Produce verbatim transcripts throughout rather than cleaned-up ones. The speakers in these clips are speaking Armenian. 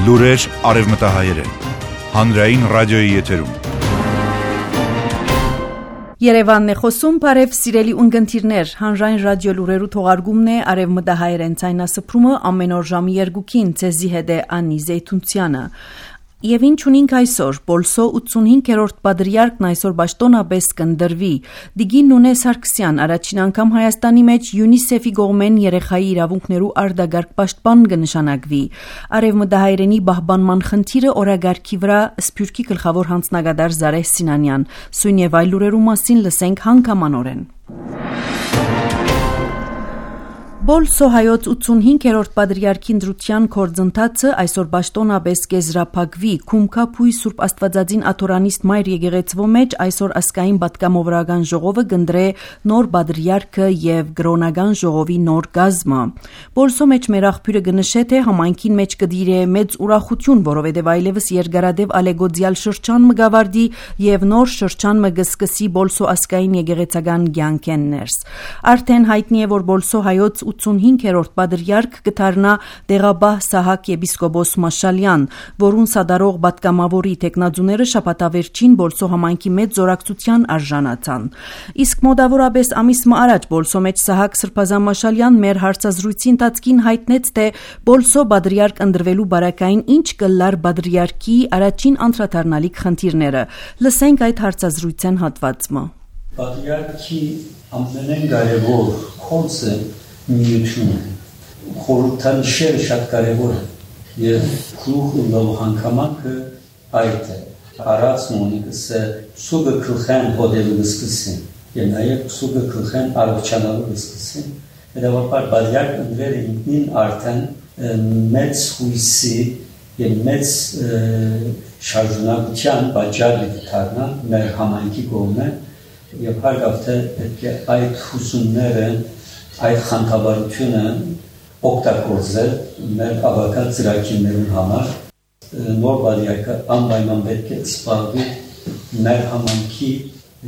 Լուրեր արևմտահայերեն, հանրային ռադիոյի եթերում։ Երևանն է խոսում, բարև սիրելի ունգընտիրներ, հանրային ռադիո լուրերու թողարկումն է արևմտահայերեն ցայնասփրումը ամեն օր ժամի երկուքին, ցեզի հետ է Անի Զեյթունցյանը։ Եվ ինչ ունենք այսօր, Բոլսո ութսունհինգերորդ պատրիարքն այսօր պաշտոնապես կընդրվի։ Դիգին Նունե Սարգսյան առաջին անգամ Հայաստանի մեջ ՅՈՒՆԻՍԵՖ-ի կողմեն երեխայի իրավունքներու արտագարգ պաշտպան կնշանակվի։ Արևմտահայերենի պահպանման խնդիրը օրագարկի վրա Սփյուռքի գլխավոր հանձնագետար Զարեհ Սինանյան։ Սույն եւ այլ լուրերու մասին լսենք հանգամանորեն։ Բոլսո հայոց ութսունհինգերորդ պատրիարքի ընտրության գործընթացը այսօր պաշտոնապես կեզրափակվի։ Քումքափույ Սուրբ Աստվածածին աթորանիստ Մայր եկեղեցվո մեջ այսօր ասկային պատգամավորական ժողովը կընտրե նոր պատրիարքը եւ գրոնական ժողովի նոր գազմը։ Բոլսո մեջ մեր աղբյուրը կնշե թե համայնքին մեջ կդիրե մեծ ուրախություն, որովհետեւ այլևս երկարադեպ ալեգոդիալ շրջան մը գավարդի եւ նոր շրջան մը կսկսի Բոլսո ասկային եկեղեցական կյանքեն ներս։ Արդեն հայտնի է, որ Բոլսո հայոց ութսունհինգերորդ պատրիարք կդառնա Դեղաբահ Սահակ եպիսկոպոս Մաշալյան, որուն սադարող պատգամավորի տեխնազուները շաբաթավերջին Բոլսո համայնքի մեծ զորակցության արժանացան։ Իսկ մոտավորապես ամիս մը առաջ Բոլսո մեջ Սահակ Սրբազան Մաշալյան մեր հարցազրույցի ընթացքին հայտնեց, թե Բոլսո պատրիարք ընտրվելու բարակային ինչ կլար պատրիարքի առաջին անդրադառնալիք խնդիրները։ Լսենք այդ հարցազրույցեն հատվածը։ Պատրիարքի ամենեն կարևոր խորհուրդը միությունը խորհրդանիշերը շատ կարևոր են եւ քրուխը լավ հանգամանքը այդ է արած մոնիկսը սուգը քլխան հոդելը սկսին եւ նաեւ սուգը քլխան արողջանալու սկսին հետեւաբար բادرյակ ընդրերը ինքնին արդեն մեծ հույսի եւ մեծ շարժունակության բաժարի դառնան մեր համայնքի կողմը եւ հարգավթե պետք է այդ հուսումները այդ խանդավառությունը օգտագործել մեր ավական ծրագիրներուն համար նոր բادرյակը անպայման պետք է սպառվի մեր համայնքի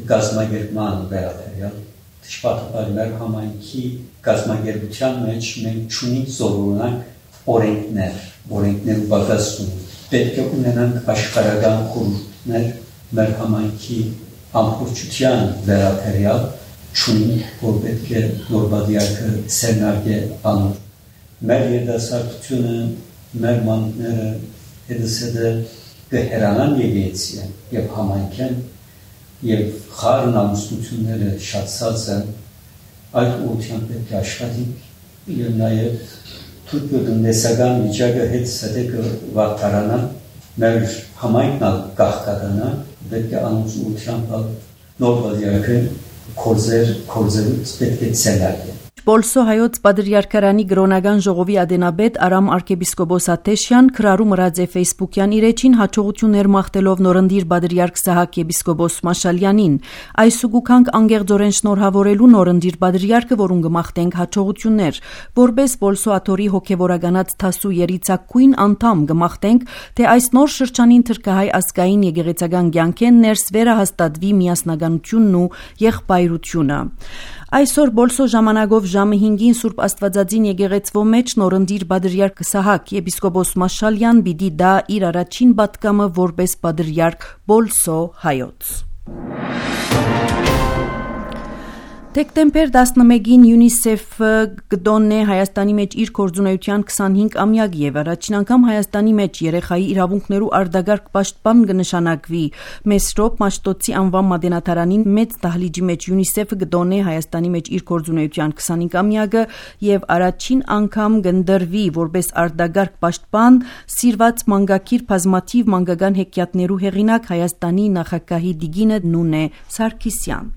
գազագերման վերաբերյալ դժբախտաբար մեր համայնքի գազագերության մեջ մենք չունենք զորունակ օրենքներ օրենքներ բացասում պետք է ունենանք աշխարհական խորհուրդներ մեր համայնքի ամբողջության վերաբերյալ չունի, որ պետք է նոր բادرյակը սերնարգե անոր։ Մեր երդասարտությունը, մեր մանուկները հետսեդը կհերանան եկեցի եւ համայնքեն եւ խառն ամուսնությունները շատացած են այդ ուղղությամբ պետք է աշխատենք եւ նաեւ թուրքը տնտեսական վիճակը հետսեդը կվարտարանա մեր համայնքն կախկականա պետք է անոնց ուղղությամբ նոր բادرյակը Կորզեր, կորզերուց պետք է ցելակը։ Բոլսո հայոց պատրիարքարանի գրոնական ժողովի ադենաբեդ Արամ arczepiskopos Ատեշյան քրարու մրած է Facebook-յան իր էջին հաջողություններ մաղթելով նորընտիր պատրիարք Սահակ եպիսկոպոս Մաշալյանին։ Այսուգուքանք անգեղձորեն շնորհավորելու նորընտիր պատրիարքը, որուն կմաղթենք հաջողություններ, որպես Բոլսո աթորի հոգևորականած թասու երիցակույն անդամ կմաղթենք, թե այս նոր շրջանին թրկահայ ազգային եկեղեցական կյանքեն ներս վերահաստատվի միասնականությունն ու եղբայրությունը։ Այսօր Բոլսո ժամանակով ժամը հինգին Սուրբ Աստվածածին եկեղեցվո մեջ նորընտիր պատրիարք Սահակ եպիսկոպոս Մաշալյան պիտի դա իր առաջին պատգամը որպես պատրիարք Բոլսո հայոց։ Դեկտեմբեր տասնմեկին ՅՈՒՆԻՍԵՖ-ը կդոննե Հայաստանի մեջ իր գործունեության քսանհինգ-ամյակ եւ առաջին անգամ Հայաստանի մեջ երեխայի իրավունքներու արտագարգ պաշտպան կնշանակվի։ Մեսրոպ Մաշտոցի անվան մատենադարանին մեծ դահլիճի մեջ ՅՈՒՆԻՍԵՖ-ը կդոննե Հայաստանի մեջ իր գործունեության քսանհինգ-ամյակը եւ առաջին անգամ կընդրվի որպես արտագարգ պաշտպան սիրված մանկագիր բազմաթիվ մանկական հեքիաթներու հեղինակ Հայաստանի նախագահի Դիգինը Նունե Սարգսյան։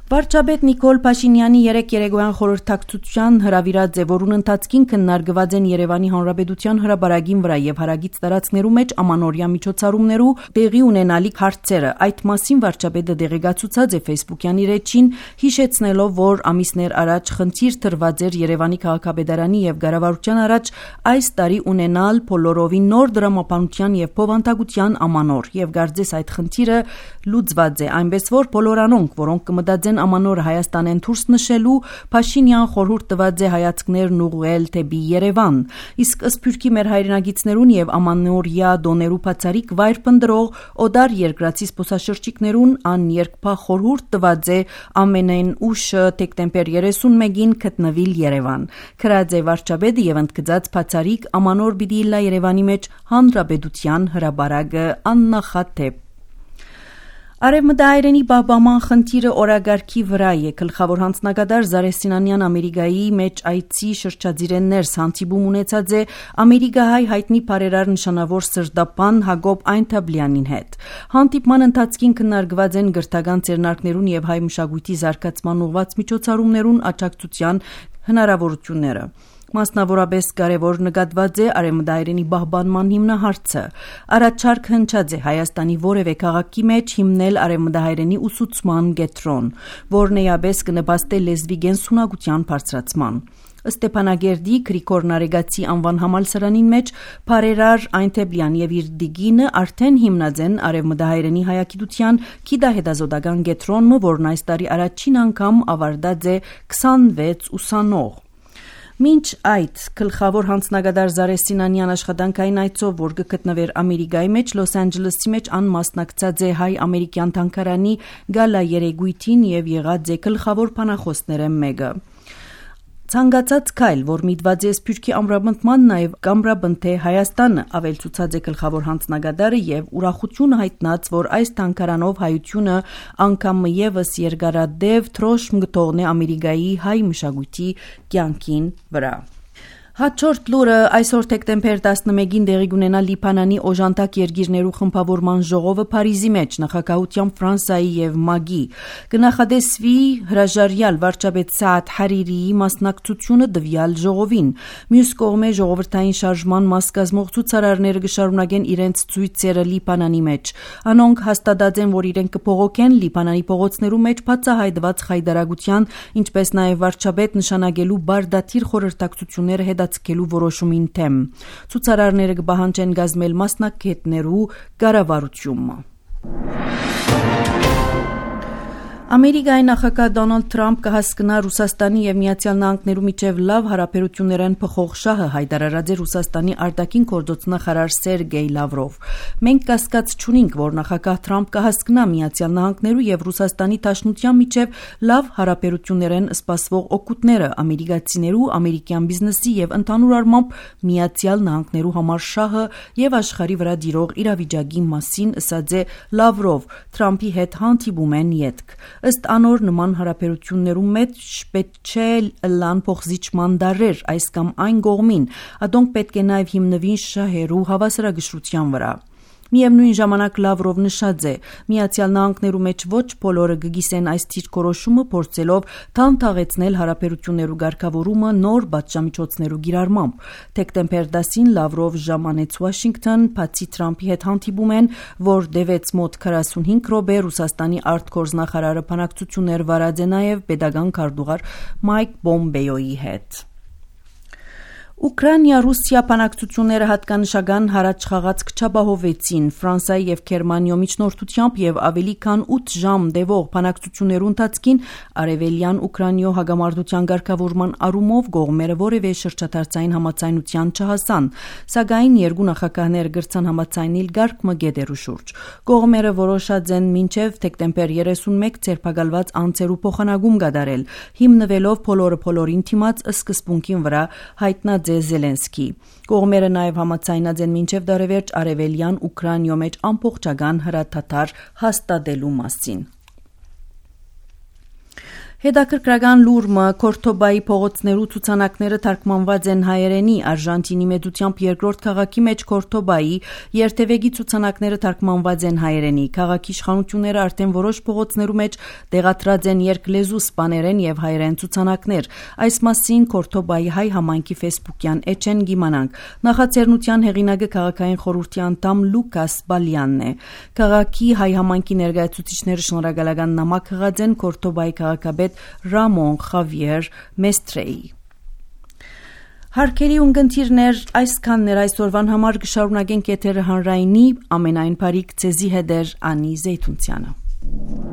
Վարչապետ Նիկոլ Փաշինյանի երեք երեկոյան խորհրդակցության հրավիրած է, որուն ընթացքին քննարկված են Երևանի Հանրապետության հրապարակին վրա եւ հարագից տարածքներու մեջ ամանորյա միջոցառումներու տեղի ունենալիք հարցերը։ Այդ մասին վարչապետը դեղեկացուցած է Facebook-յան իր էջին, հիշեցնելով, որ ամիսներ առաջ խնդիր տրված էր Երևանի քաղաքապետարանի եւ կառավարության առաջ այս տարի ունենալ բոլորովին նոր դրամապանության եւ փոխանցության ամանոր եւ գարձես այդ խնդիրը լուծված է, այնպես որ բոլոր անոնք, որոնք կմտածեն ամանորը Հայաստան են դուրս նշելու, Փաշինյան խորհուրդ տված է հայացքներն ուղղել թեպի Երևան, իսկ Սփյուռքի մեր հայրենագիցներուն եւ ամանորյա դոներու բացարիք վայր պնդրող օդար երկրացի զբոսաշրջիկներուն աներկփա խորհուրդ տված է ամենայն ուշը դեկտեմբեր երեսունմեկին գտնվիլ Երևան։ Քրաձե վարչապետը եւ ընդգծած բացարիք ամանոր պիտի լա Երևանի մեջ հանրապետության հրաբարակը աննախադեպ։ Արևմտահայերենի պահպանման խնդիրը օրագարկի վրա է։ Գլխավոր հանձնագետար Զարե Սինանյան Ամերիկայի մեջ այցի շրջադիրեններ հանդիպում ունեցած է ամերիկահայ հայտնի բարերար նշանավոր սրդապան Հակոբ Այնթաբլյանին հետ։ Հանդիպման ընթացքին քննարկված են գրթական ձեռնարկներուն եւ հայ մշակույթի զարգացման ուղղված միջոցառումներուն աջակցության հնարավորությունները։ Մասնավորապես կարևոր նկատված է արևմտահայերենի պահպանման հիմնահարցը։ Առաջարկ հնչած է Հայաստանի որևէ քաղաքի մեջ հիմնել արևմտահայերենի ուսուցման կենտրոն, որն էապես կնպաստի լեզվի կենսունակության բարձրացման։ Ստեփանագերդի Գրիգոր Նարեգացի անվան համալսարանին մեջ բարերար Այնթեբլյան եւ իր դիգինը արդեն հիմնած են արևմտահայերենի հայագիտության գիտահետազոտական կենտրոնը, որն այս տարի առաջին անգամ ավարտած է քսանվեց ուսանող։ Մինչ այդ գլխավոր հանձնագետար Զարե Սինանյան աշխատանքային այցով, որ գտնվեր Ամերիկայի մեջ Լոս Անջելեսի մեջ անմասնակցած է հայ-ամերիկյան թանգարանի գալա երեգույթին եւ եղած է գլխավոր բանախոսները մեկը։ Ցանկացած քայլ, որ միտված է Սփյուռքի ամրապնդման, նաև կամրապնդե Հայաստանը, ավելցուցած է գլխավոր հանձնագետարը եւ ուրախություն հայտնած, որ այս թանգարանով հայությունը անգամ եւս երկարադեպ թրոշմ գտողն է Ամերիկայի հայ մշակույթի կյանքին վրա։ Հաջորդ լուրը այսօր դեկտեմբեր տասնմեկին տեղի կունենա Լիբանանի օժանդակ երկիրներու խմբավորման ժողովը Փարիզի մեջ նախագահությամբ Ֆրանսիայի եւ ՄԱԳ-ի կնախադեсվի հրաժարյալ վարչապետ Սաադ Հարիրիի մասնակցությունը դվյալ ժողովին։ Մյուս կողմէ ժողովրդային շարժման մաս կազմող ցուցարարները կշարունակեն իրենց ցույցերը Լիբանանի մեջ։ Անոնք հաստատած են, որ իրենք կփողոքեն Լիբանանի փողոցներու մեջ բացահայտված խայդարագության, ինչպես նաև վարչապետ նշանակելու բարդաթիր խորհրդակցությունները հետ կելու որոշումին թեմ։ Ցուցարարները կպահանջեն գազմել մասնակիցներու կառավարությունը։ Ամերիկայի նախագահ Դոնալդ Թրամփ կհասկնա Ռուսաստանի եւ Միացյալ Նահանգներու միջև լավ հարաբերություններն փոխող շահը հայտարարած է Ռուսաստանի արտաքին գործոց նախարար Սերգեյ Լավրով։ Մենք կասկած չունենք, որ նախագահ Թրամփ կհասկնա Միացյալ Նահանգներու եւ Ռուսաստանի Դաշնության միջև լավ հարաբերություններն սպասվող օգուտները ամերիկացիներու, ամերիկյան բիզնեսի եւ ընդհանուր առմամբ Միացյալ Նահանգներու համար շահը եւ աշխարհի վրա դիրող իրավիճակի մասին ասած է Լավրով Թրամփի հետ հանդիպում են յետք։ Ըստ անոր նման հարաբերություններու մեջ պետք չէ լան փոխզիջման դարեր այս կամ այն կողմին, ադոնք պետք է նաև հիմնվին շահերու հավասարակշռության վրա։ Միևնույն ժամանակ Լավրով նշած է, Միացյալ Նահանգներու մեջ ոչ բոլորը կգիսեն այս դիրքորոշումը, փորձելով թանթաղեցնել հարաբերություններու ղեկավարումը նոր պատժամիջոցներու գիրառմամբ։ Դեկտեմբեր տասին Լավրով ժամանեց Վաշինգտոն, բացի Թրամփի հետ հանդիպում են, որ դեվեց մոտ քառասունհինգ րոպե Ռուսաստանի արտգործնախարարը բանակցություններ վարած է նաև պետական քարտուղար Մայք Պոմպեոյի հետ։ Ուկրաինա-Ռուսիա բանակցությունները հատկանշական հարաճ խաղաց կչապահովեցին Ֆրանսիայի եւ Գերմանիայի միջնորդությամբ եւ ավելի քան ութ ժամ տևող բանակցություններու ընթացքին արևելյան Ուկրաինայով հագամարտության ղեկավարման առումով կողմերը որևէ շրջադարձային համաձայնության չհասան, սակայն երկու նախագահները գրցան համաձայնել գարկմգետերու շուրջ։ Կողմերը որոշած են մինչեւ դեկտեմբեր երեսունմեկ ձերբակալված անձերու փոխանակում կատարել, հիմնվելով բոլորը բոլորին թիմած սկզբունքին վրա հայտնած Զելենսկի։ Կողմերը նաև համաձայնած են մինչև դարևերջ արևելյան Ուկրաինայում մեջ ամբողջական հրաթաթար հաստատելու մասին։ Հետաքրքրական լուրը Կորդոբայի փողոցներու ցուցանակները թարգմանված են հայերենի Արժանտինի մեծությամբ երկրորդ քաղաքի մեջ Կորդոբայի երթևեկի ցուցանակները թարգմանված են հայերենի քաղաքի իշխանությունները արդեն որոշ փողոցներու մեջ տեղադրած են երկլեզու սպաներեն եւ հայերեն ցուցանակներ այս մասին Կորդոբայի հայ համայնքի Facebook-յան էջեն գիմանանք նախաձեռնության հեղինակը քաղաքային խորհրդի անդամ Լուկաս Բալյանն է քաղաքի հայ համայնքի ներկայացուցիչները շնորհակալական նամակ հղած են Կորդոբայի քաղաքապետ Ռամոն Խավիեր Մեստրեի։ Հարկերի ունգընթիրներ այսքաններ այսօրվան համար կշարունակենք եթերը հանրայինի ամենայն բարիք ցեզի հետեր Անի Զեյթունցյանը։